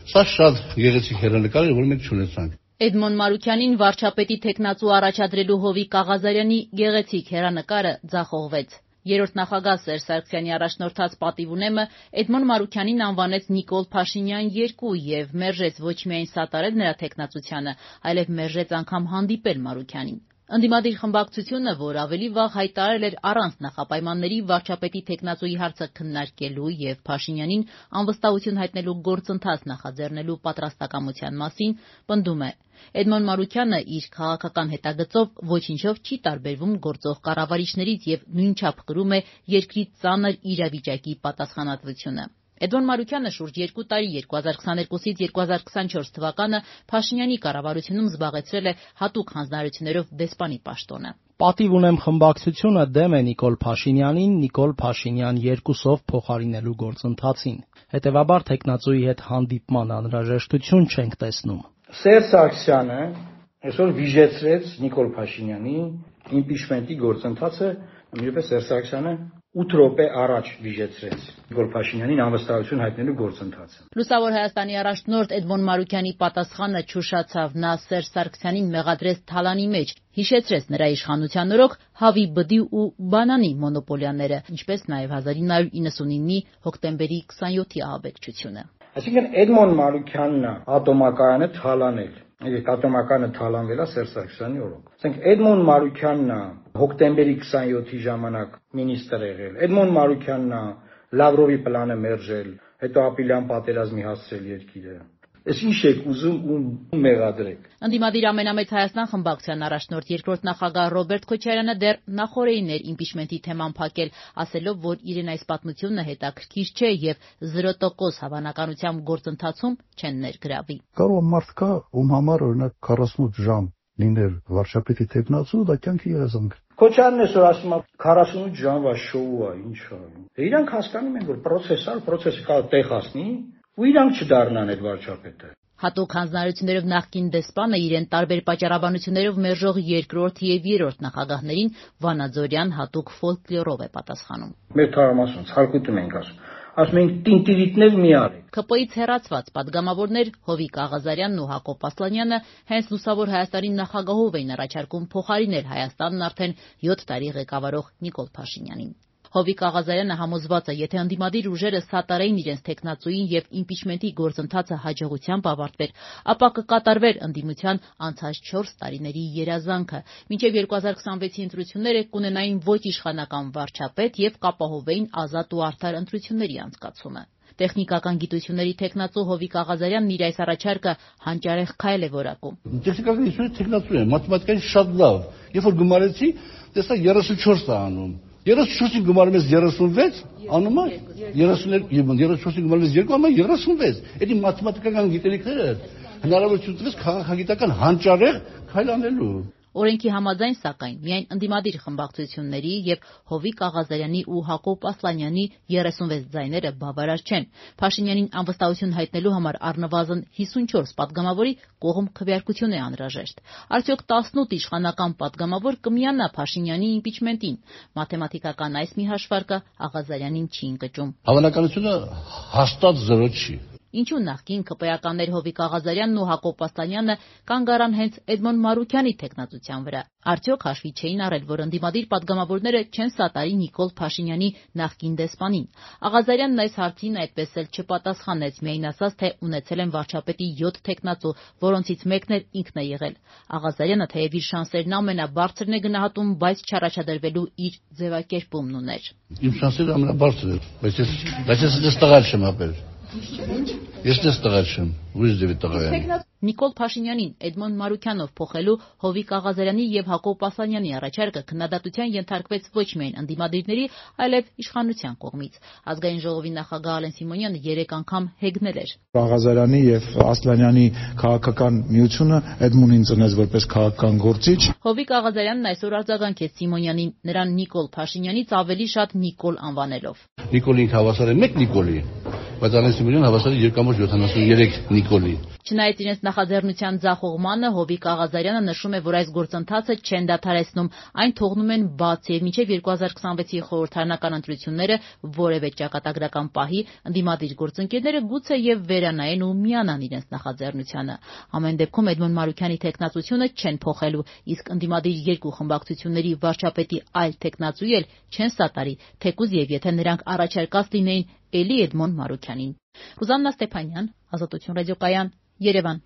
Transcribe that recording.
Սա շատ գեղեցիկ հեռանկար էր, որ մենք չունեցանք։ Էդմոն Մարուքյանին վարչապետի թեկնածու առաջադրելու Հովիկ Աղազարյանի գեղեցիկ հեռանկարը ձախողվեց։ Երրորդ նախագահ Սերժ Սարգսյանի առաջնորդած պատիվունեմը Էդմոն Մարուքյանին անվանեց Նիկոլ Փաշինյան 2 եւ մերժեց ոչ միայն սատարել նրա թեկնածությանը, այլև մերժեց անգամ հանդիպել Մարուքյանին։ Ընդդիմադիր խմբակցությունը, որ ավելի վաղ հայտարարել էր առանց նախապայմանների վարչապետի թեկնածուի հարցը քննարկելու եւ Փաշինյանին անվստահություն հայտնելու գործընթաց նախաձեռնելու պատրաստակամության մասին, պնդում է. Էդմոն Մարուքյանը իր քաղաքական հետագծով ոչինչով չի տարբերվում գործող կառավարիչներից եւ նույնչափ կրում է երկրի ծանր իրավիճակի պատասխանատվությունը։ Էդմոն Մարուքյանը շուրջ 2 տարի 2022-ից 2024 թվականը Փաշինյանի կառավարությունում զբաղեցրել է հատուկ հանձնարարություններով դեսպանի պաշտոնը։ Պատիվ ունեմ խմբակցությունը դեմ է Նիկոլ Փաշինյանին Նիկոլ Փաշինյան 2-ով փոխարինելու գործընթացին։ Հետևաբար թեկնածուի հետ հանդիպման անհրաժեշտություն չենք տեսնում։ Սերժ Սարգսյանը այսօր վիժեցրեց Նիկոլ Փաշինյանի իմպիչմենտի գործընթացը, նույնպես Սերժ Սարգսյանը 8 րոպե առաջ վիժեցրեց Նիկոլ Փաշինյանին անվստահություն հայտնելու գործընթացը։ Լուսավոր Հայաստանի առաջնորդ Էդմոն Մարուքյանի պատասխանը չուշացավ, նա Սերժ Սարգսյանին մեղադրեց թալանի մեջ, հիշեցրեց նրա իշխանության օրոք հավի բդի ու բանանի մոնոպոլիաները, ինչպես նաև 1999-ի հոկտեմբերի 27-ի ահաբեկչությունը։ Այսինքն Էդմոն Մարուքյանն է ատոմակայանը թալանել։ Ատոմակայանը թալանվել է Սերժ Սարգսյանի օրոք։ Ասենք Էդմոն Մարուքյանն է հոկտեմբերի 27-ի ժամանակ մինիստր եղել։ Էդմոն Մարուքյանն է Լավրովի պլանը մերժել, հետո ապիլյան պատերազմի հասցրել երկիրը։ Այս ինչ եք ուզում ու մեղադրեք։ Ընդդիմադիր ամենամեծ Հայաստան խմբակցության առաջնորդ երկրորդ նախագահ Ռոբերտ Քոչարյանը դեռ նախորդին էր իմպիչմենտի թեման փակել, ասելով, որ իրեն այս պատմությունը հետաքրքիր չէ եւ 0% հավանականությամբ գործընթացում չեն ներգրավի։ Կարող մարդ կա, ում համար օրինակ 48 ժամ լիներ վարչապետի թեկնածու, դա կյանքի երազանք։ Քոչարյանն այսօր ասում է 48 ժամվա շոու է, ինչ է։ Իրանք հասկանում են, որ պրոցեսը կարող տեղ հասնի, ու իրանք չդառնան այդ վարչապետը։ Հատուկ հանձնարարություններով նախկին դեսպանը իրեն տարբեր պատճառաբանություններով մերժող երկրորդ եւ երրորդ նախագահներին Վանաձորյան հատուկ ֆոլկլորով է պատասխանում։ Մեր թարամասում ցարկուտում ենք ասում ենք տինտիրիտներ մի արեք։ ԿՊ-ից հեռացված падգամավորներ Հովիկ Աղազարյանն ու Հակոբ Ասլանյանը հենց Լուսավոր Հայաստանի նախագահով էին առաջարկում փոխարինել Հայաստանն արդեն 7 տարի ղեկավարող Նիկոլ Փաշինյանին։ Հովիկ Աղազարյանը համոզված է, եթե ընդդիմադիր ուժերը սատարեին իրենց թեկնածուին եւ իմպիչմենտի գործընթացը հաջողությամբ ավարտվեր, ապա կկատարվեր ընդդիմության անցած 4 տարիների երազանքը։ Մինչեւ 2026-ի ընտրությունները կունենային ոչ իշխանական վարչապետ եւ կապահովեին ազատ ու արդար ընտրությունների անցկացումը։ Տեխնիկական գիտությունների թեկնածու Հովիկ Աղազարյանն իր այս առաջարկը հանճարեղ քայլ է որակում։ Տեխնիկական գիտությունների թեկնածու է, մաթեմատիկային շատ լավ։ Երբ որ գումարեցի, տեսա 34 է անում։ 34-ին գումարում ես 36, անում է 34-ին գումարում ես 2, անում է 36։ Էդի մաթեմատիկական գիտելիքները հնարավորություն տվեց քաղաքագիտական հանճարեղ քայլ անելու։ Օրենքի համաձայն, սակայն, միայն ընդդիմադիր խմբակցությունների եւ Հովիկ Աղազարյանի ու Հակոբ Ասլանյանի 36 ձայները բավարար չեն։ Փաշինյանին անվստահություն հայտնելու համար առնվազն 54 падգամավորի կողմ քվեարկություն է անհրաժեշտ։ Արդյոք 18 իշխանական падգամավոր կմիանա Փաշինյանի իմպիչմենտին։ Մաթեմատիկական այս մի հաշվարկը Աղազարյանին չի ընկճում։ Հավանականությունը հաստատ 0 չի։ Ինչու նախկին ԿՊ-ականներ Հովիկ Աղազարյանն ու Հակոբ Ասլանյանը կանգ առան հենց Էդմոն Մարուքյանի թեկնածության վրա։ Արդյոք հաշվի չէին առել, որ ընդդիմադիր падգամավորները չեն սատարի Նիկոլ Փաշինյանի նախկին դեսպանին։ Աղազարյանն այս հարցին այդպես էլ չպատասխանեց, միայն ասաց, թե ունեցել են վարչապետի 7 թեկնածու, որոնցից մեկն էլ ինքն է եղել։ Աղազարյանը թեև իր շանսերն ամենաբարձրն է գնահատում, բայց չառաջադրվելու իր ձևակերպումն ուներ։ Իմ շանսերը ամենաբարձրն են, բայց ես տղալ չեմ ապել։ Ես դες տղա չեմ, ուրիշ դեպի տղա եմ։ Նիկոլ Փաշինյանին Էդմոն Մարուքյանով փոխելու Հովիկ Աղազարյանի եւ Հակոբ Ասլանյանի առաջարկը քննադատության ենթարկվեց ոչ միայն ընդդիմադիրների, այլև իշխանության կողմից։ Ազգային ժողովի նախագահ Ալեն Սիմոնյանը 3 անգամ հեգնել էր։ Աղազարյանի եւ Ասլանյանի քաղաքական միությունը Էդմոնին ծնեց որպես քաղաքական գործիչ։ Հովիկ Աղազարյանն այսօր արձագանքեց Սիմոնյանին, նրան Նիկոլ Փաշինյանից ավելի շատ Նիկոլ անվանելով։ Նիկոլին հավասար է 1 Նիկոլի, բայց Ալեն Սիմոնյանը հավասար է 2.73 Նիկոլի։ Չնայած իրենց նախաձեռնության ձախողմանը, Հովիկ Աղազարյանը նշում է, որ այս գործընթացը չեն դադարեցնում, այն թողնում են բաց եւ մինչեւ 2026-ի խորհրդարանական ընտրությունները որևէ ճակատագրական պահի ընդդիմադիր գործընկերները գուցե եւ վերանայեն ու միանան իրենց նախաձեռնությանը։ Ամեն դեպքում Էդմոն Մարուքյանի թեկնածությունը չեն փոխելու, իսկ ընդդիմադիր երկու խմբակցությունների վարչապետի այլ թեկնածուի էլ չեն սատարի, թեկուզ եւ եթե նրանք առաջարկած լինեին էլի Էդմոն Մարուքյանին։ Ռուզաննա Ստեփանյան, Ազատություն ռադիոկայան, Երևան։